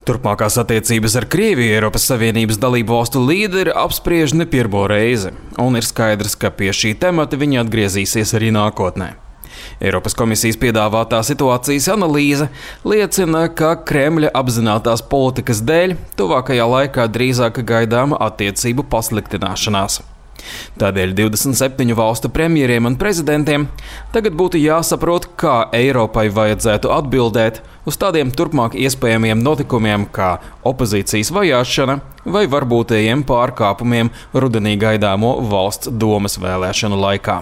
Turpmākās attiecības ar Krieviju Eiropas Savienības dalību valstu līderi apspriež ne pirmo reizi, un ir skaidrs, ka pie šī temata viņi atgriezīsies arī nākotnē. Eiropas komisijas piedāvātā situācijas analīze liecina, ka Kremļa apzinātās politikas dēļ tuvākajā laikā drīzāk gaidāma attiecību pasliktināšanās. Tādēļ 27 valstu premjeriem un prezidentiem tagad būtu jāsaprot, kā Eiropai vajadzētu atbildēt uz tādiem turpmāk iespējamiem notikumiem kā opozīcijas vajāšana vai varbūtējiem pārkāpumiem rudenī gaidāmo valsts domas vēlēšanu laikā.